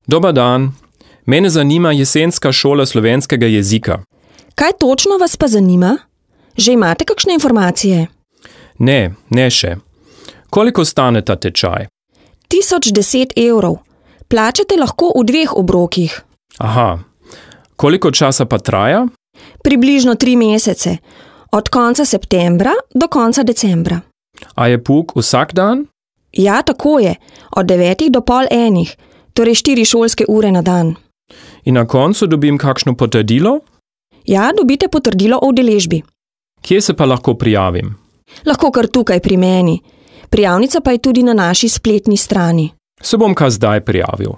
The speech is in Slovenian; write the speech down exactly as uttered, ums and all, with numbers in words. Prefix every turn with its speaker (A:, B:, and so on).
A: Dobar dan. Mene zanima jesenska šola slovenskega jezika.
B: Kaj točno vas pa zanima? Že imate kakšne informacije?
A: Ne, ne še. Koliko stane ta tečaj?
B: Tisoč deset evrov. Plačate lahko v dveh obrokih.
A: Aha. Koliko časa pa traja?
B: Približno tri mesece. Od konca septembra do konca decembra.
A: A je pouk vsak dan?
B: Ja, tako je. Od devetih do pol enih. Torej štiri šolske ure na dan.
A: In na koncu dobim kakšno potrdilo?
B: Ja, dobite potrdilo o udeležbi.
A: Kje se pa lahko prijavim?
B: Lahko kar tukaj pri meni. Prijavnica pa je tudi na naši spletni strani.
A: Se bom kar zdaj prijavil.